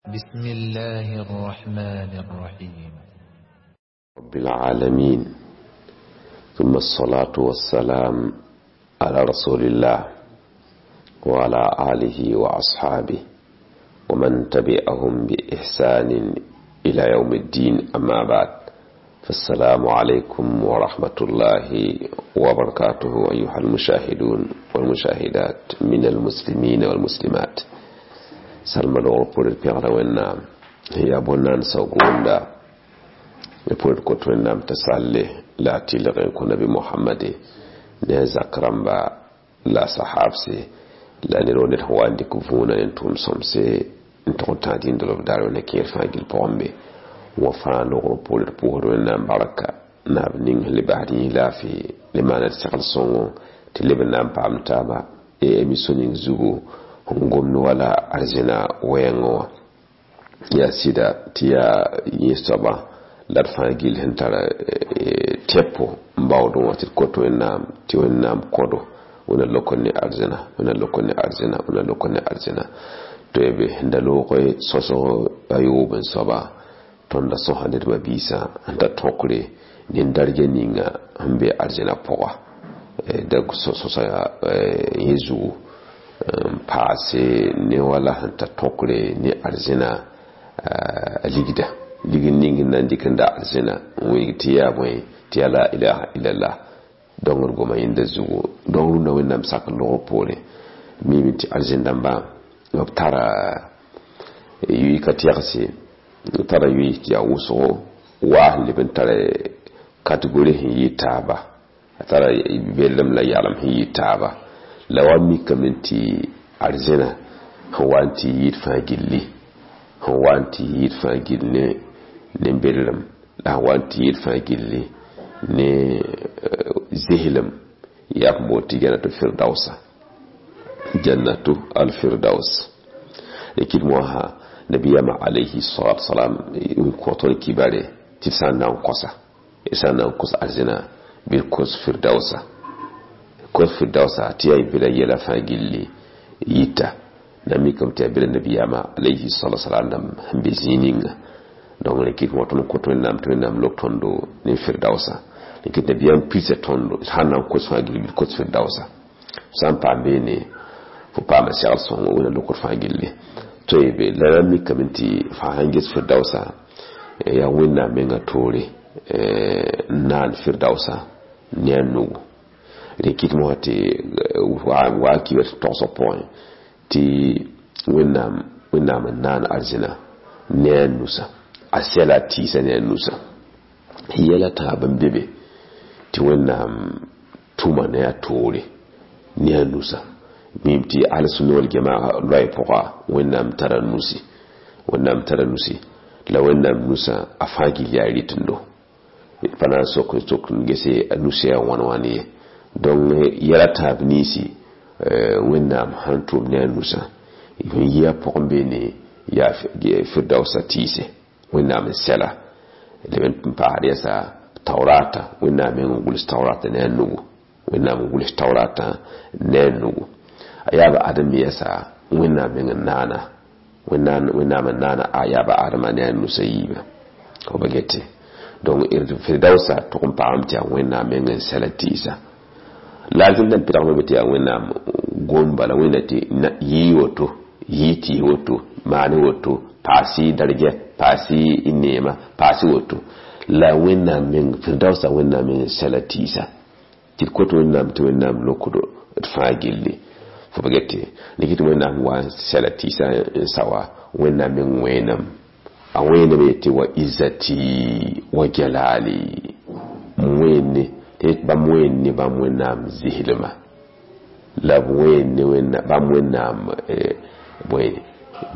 بسم الله الرحمن الرحيم. رب العالمين، ثم الصلاة والسلام على رسول الله وعلى آله وأصحابه ومن تبعهم بإحسان إلى يوم الدين. أما بعد، فالسلام عليكم ورحمة الله وبركاته أيها المشاهدون والمشاهدات من المسلمين والمسلمات. سلم الغرب البيغرة والنام هي بنان سوغوندا يقول كتو النام تسالي لا تلغي نبي محمد نزا كرمبا لا صحابسي لا نرون الهوان دي كفونا نتوم سمسي نتوم تادين دلوب دارو نكير فاجل بومبي وفان لغرب البوهر والنام بركة ناب نين لبعدين لا في لما نتسقل صنو تلبن نام بامتابا إيميسونين زوغو n gomd wala arzẽna wɛɛngẽ wã yaa sɩda tɩ yaa yẽ soaba la d fãa gill sẽn tara tɛpo n baoodẽ wã tɩ d kot Wẽnnaam tɩ Wẽnnaam kõdo wẽna lok ne arzẽna, wẽna lok ne arzẽna, wẽna lok ne arzẽna. To y be n da loog sõsg a yoob n soaba tõnd da sõsa ned mabiisã n ta tõkre nin-darga ninga sẽn be arzẽna pʋga da sõsa yẽ zugu n paase ne wala sẽn ta tõkre ne arzẽna ligda ligd ning n na n dɩk n da arzẽna n wilg tɩ yaa bõe tɩ yaa la ilaha illallah. Dongd goma yẽnda zugu dong rũndã Wẽnnaam sak logr poore mime tɩ arzẽn dãmbã b tara yʋɩ ka tɛgse, b tara yʋɩ tɩ yaa wʋsgo waa sẽn leb n tara kategori sẽn yɩ taaba, a tara bellem la yalem sẽn yɩ taaba. La wa mikame tɩ arzẽna sẽn wa n tɩ yɩɩd fãa gilli, sẽn wa n tɩ yɩɩd fãa gill ne bellem, la sẽn wa n tɩ yɩɩd fãa gilli ne zehlem yaa b boond tɩ jannatu firdausa, jannatu alfirdaus. Kɩd moasã nabiyama alayhi salatu wasalam n kõ tõnd kibare tɩ d sã n na n kõsa, d sã n na n kos arzẽna bɩ d kos firdausa, kos firdausa tɩ yaa bela yɛla fãa gilli yita na mikame tɩ yaa bela nabiyama alayhi salatu wasalam dãmb sẽn be zĩig ninga. Donc rẽ kɩt wã tõnd kõt Wẽnnaam tɩ Wẽnnaam lok tõndo ne firdausa. Rẽ kɩt nabiyaam pisa tõndo sã n na n kos fãa gilli bɩ d kos firdausa. Sã n paam beene fo paama segl sõngo wẽna lokd fãa gilli. To y be la na mikame tɩ fãa sãn ges firdausa yaa Wẽnnaam menga toore n naan firdausa ne a nugu. Rẽ kɩt mosã tɩ wa kiba tɩ togsg pʋgẽ tɩ Wẽnnaam n naan arzẽna ne a nusa, a sɛla a tɩɩsa ne a nusa. Yɛla tãab n be be tɩ Wẽnnaam tʋma ne a toore ne a nusa. Mim tɩ al-sunna wal jamaa loɛɛ pʋga Wẽnnaam tara nusi, Wẽnnaam tara nusi la Wẽnnaam nusã a fãa gill yaa rɩtendo. D pa na n sok n sok n gese a nusã yaa wãn wãn ye. Donc yɛla tãab ninsi Wẽnnaam sãn tʋm ne a nusã sẽn yi a pʋgẽ beene yaa firdausa tɩɩse Wẽnnaam n sɛla leb n paasd yɛsa taurata Wẽnnaam meng n gʋls taurata ne a nugu, Wẽnnaam n gʋls taurata ne a nugu. A yaaba Adem yɛsa Wẽnnaam meng n naana, Wẽnnaam n naana a yaaba Adama ne a nusã yiibã fo ba gete. Donc firdausa tʋg n paam tɩ yaa Wẽnnaam meng n sɛla tɩɩsa. La arzẽn dãmb pɩdgme be tɩ yaa Wẽnnaam gom bala wẽnna tɩ yɩɩ woto, yɩɩ tɩɩs woto, maane woto, paas-y darja, paas-y neema, paas-y woto. La Wẽnnaam meng firdausa Wẽnnaam meng n sɛla tɩɩsa tɩ d kot Wẽnnaam tɩ Wẽnnaam lokdo d fãa gilli fo ba gete. Ne kɩ tɩ Wẽnnaam wa n sɛla tɩɩsa n sa wa Wẽnnaam meng wẽenam, a wẽenam yetɩ wa izzati wa jalali wẽnne tɩ bãmb wẽnne bãmb Wẽnnaam zislma la b wẽnne bãmb Wẽnnaam bõe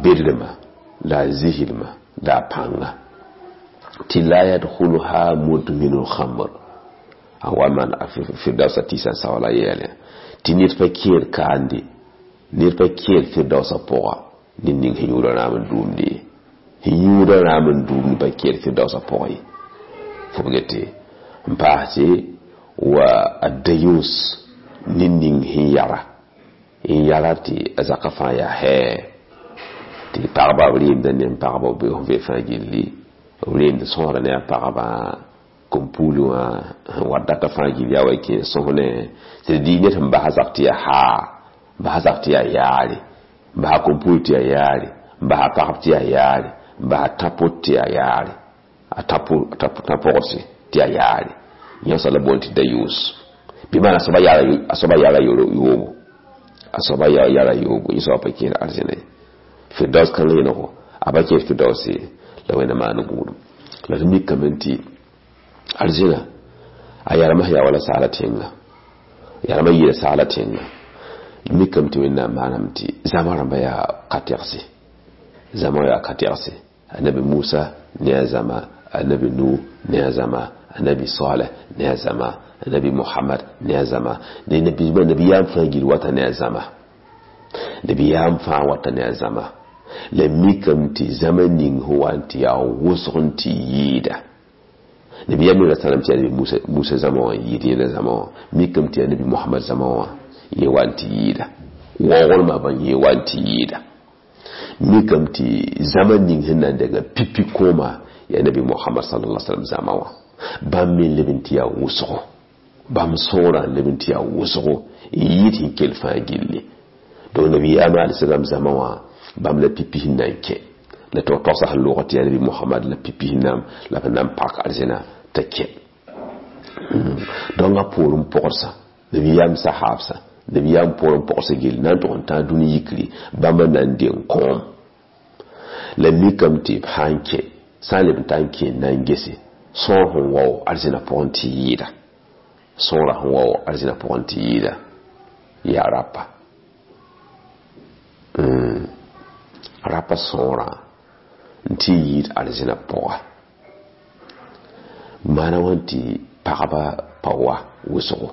bedremã la a zislma la a pãnga tɩ la yadkhuluha mudminu lkhamr a wa maan firdausa tɩɩsã n sa wala yɛɛlẽ tɩ ned pa kẽer kaande, ned pa kẽer firdausa pʋga ned ning sẽn yũuda rãam n dʋʋmde ye, sẽn yũuda rãam n dʋʋmd pa kẽer firdausa pʋga ye. Fo b gete n paase wa adayus ned ning sẽn yara n yara tɩ a zakã fãa yaa hɛɛ Tɩ pagba b rɩɩmda ne pagba b sẽn vɩ fãa gilli, b rɩɩmd sõsda ne a pagba kom-puuli wã sẽn wat data fãa gill yaa wa kẽ sõs ne tɩ d dɩ ned sẽn basa zak tɩ yaa haa, n basa zak tɩ yaa yaare, n basa kom-puuli tɩ yaa yaare, n basa pagb tɩ yaa yaare, n basa tã-pot tɩ yaa yaare, a tã-pogdse tɩ yaa yaare. Yẽsa la boond tɩ dayuus bɩ maan a soaba yaara yoobo, a soaba yaara yoobo, yẽ soaba pa kẽed arzẽna ye. Firdaus kãng yẽnego a pa kẽed Firdaus ye, la Wẽnda maan gũudum. La d mikame tɩ arzẽna a yarmã sẽn yaa wala saala tẽnga, yarmã yɩɩda saala tẽnga. D mikame tɩ Wẽnnaam maaname tɩ zãma rãmba yaa ka-tɛgse, zãma yaa ka-tɛgse. Annabi Musa ne a zãma, annabi Nu ne a zãma, annabi Saleh ne a zãma, annabi Muhammad ne a zãma, ne nabiyaam fãa gil wata ne a zãma, nabiyaam fãa wata ne a zãma. La mikame tɩ zãma ning sẽn wa n tɩ yaa wʋsg n tɩ yɩɩda. Nabiyaam me ra sãnem tɩ yaa nabi Musa zãma wã n yɩɩd yẽnda zãma wã, mikame tɩ yaa nabi Muhammad zãma wã yẽ wa n tɩ yɩɩda. Waoogrmã bã yẽ wa n tɩ yɩɩda. Mikame tɩ zãma ning sẽn na n denga pipi kooma yaa nabi Muhammad sallallahu alaihi wasallam zãma wã. Bãmb me leb n tɩ yaa wʋsgo, bãmb sõorã n leb n tɩ yaa wʋsgo n yɩɩd sẽn kell fãa gilli. Donc nabiyaam alayhi salam zãma wã bãmb la pipi sẽn na n kẽ. La tɩ togsa sẽn loog tɩ yaa nabi Muhammad la pipi sẽn la b na n pak arzẽna t'a kẽ. Donc a poorẽ pɔgsã nabiyaam sahaabsã, nabiyaam poorẽ pɔgsã gill na n tʋg n tãag dũni yikri bãmb n na n deng kõom. La mikame tɩ b sã n kẽ, sã n leb n ta n kẽ n na n gese sõor sẽn wao arzẽna pʋgẽ tɩ yɩɩda, sõora sẽn wao arzẽna pʋgẽ tɩ yɩɩda yaa rapa. Rapa sõorã n tɩ yɩɩd arzẽna pʋga. Maana wã tɩ pagba pa wa wʋsgo,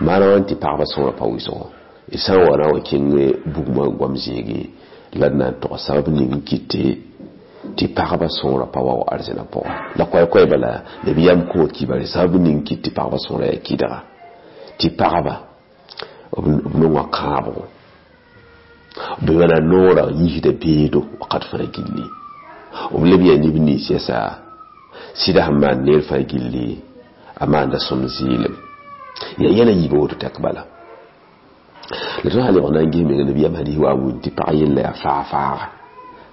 maana wã tɩ pagba sõorã pa wʋsgo. D sã n wa na n wa kẽng bugmã goam zĩigẽ la d na n tog sabab ning n kɩte tɩ pagba sõorã pa wa arzẽna pʋga. La koɛɛ-koɛɛ bala nabiyaam kõ kibare sabab ning n kɩt tɩ pagba sõorã yaa kɩdga, tɩ pagba b nonga kãabgo, b wãna noorã yiisda beedo wakat fãa gilli. B leb yaa neb nins yɛsa sɩda sẽn maan neer fãa gilli a maanda sõm zɩɩlem. Yaa yɛla yiibã woto tɛk bala. La tõnd sã lebg na n ges menga nabiyaam hadis wa n wĩnd tɩ pag yella yaa faag-faaga.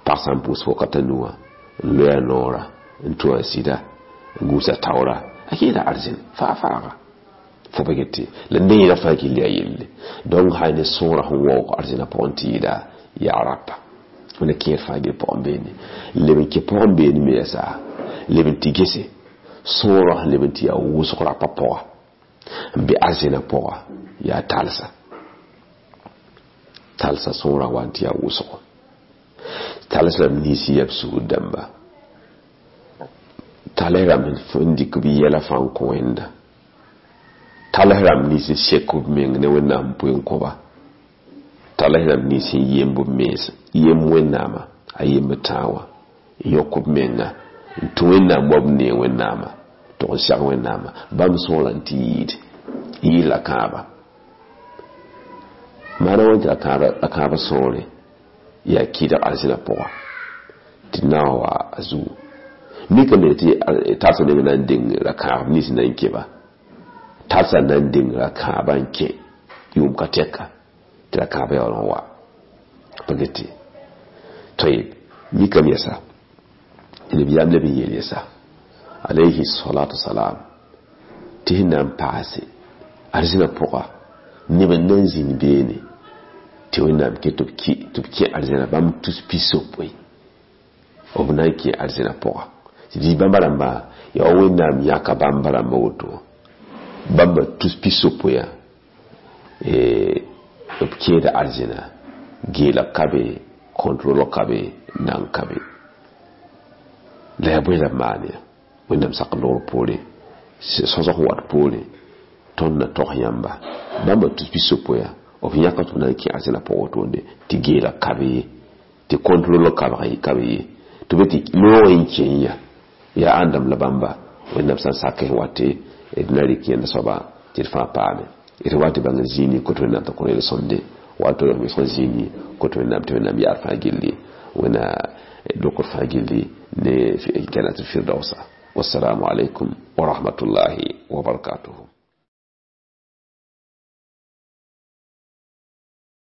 Pag sã n pʋʋs wakat a nuwã n loe a noorã n tũ a sɩda n gũus a taoora, a kẽeda arzẽn faag-faaga. Fo pa get la neerã fãa gill yaa yelle. Donc sã ne sõorã sẽn waoog arzẽna pʋgẽ tɩ yɩɩda yaa rapa. Wẽnna kẽer fãa gill pʋgẽ beene. Leb n kẽ pʋgẽ beene me yɛsa leb n tɩ gese sõorã sẽn leb n tɩ yaa wʋsg rapa pʋga n be arzẽna pʋga yaa talsa. Talsa sõorã wa n tɩ yaa wʋsgo. Tals rãmb nins n yaa b sugr dãmba. Tals rãmb n dɩk b yɛla fãa n kõ Wẽnda. Tals rãmb nins n sek b meng ne Wẽnnaam n poe n kõ-ba. Tals rãmb nins n yemb b mens, yemb Wẽnnaamã a yemb tãag wã, n yõk b menga n tũ Wẽnnaam wa b neeg Wẽnnaamã, tʋg n sɛg Wẽnnaamã. Bãmb sõorã n tɩ yɩɩd, yɩɩd la kãaba. Maana wã tɩ la kãabã sõore yaa kɩdg arzẽna pʋga tɩ na n wa a zugu. Mikame tɩ talsã neng na n deng ra-kãab nins n na n kẽ-ba. Talsã na n deng ra-kãabã n kẽ yʋʋm ka tɛka tɩ ra-kãabã yaool n wa. Pa get tɩ mikame yɛsa tɩ nabiyaam leb n yeel yɛsa alayhi salatu salam tɩ sẽn na n paase arzẽna pʋga neb n na n zĩnd beene tɩ Wẽnnaam kẽ tɩ b kẽ arzẽna bãmb tus pisopoe b na n kẽ arzẽna pʋga. Tɩ bãmba rãmba yaa wa Wẽnnaam yãka bãmba rãmba woto bãmba tus pisopoe b kẽeda arzẽna geela ka be, contrôle ka be, nan ka be. La yaa bõe la b maan ya Wẽnnaam sak logr poore, sõsg sẽn wat poore tõnd na tog yãmba bãmba tus pisopoe b yãka tɩ b na n kẽ arzẽna pʋgã wotone tɩ geela ka be ye, tɩ contrôle ka be ye, tɩ b tɩ loog n kẽ ya yaa ãndame la bãmba Wẽnnaam sã n sak sẽn wate d na rɩk yẽnda soaba tɩ d fãa paame. D wa tɩ bãng zĩig ning kot Wẽnnaam t'a kõ yel-sõmde wa tɩ b zĩig ning kot Wẽnnaam tɩ Wẽnnaam yaad fãa gilli. Wẽnna dokr fãa gilli ne jannatul firdausa. Wassalamu alaikum wa rahmatullahi wa barakatuhu.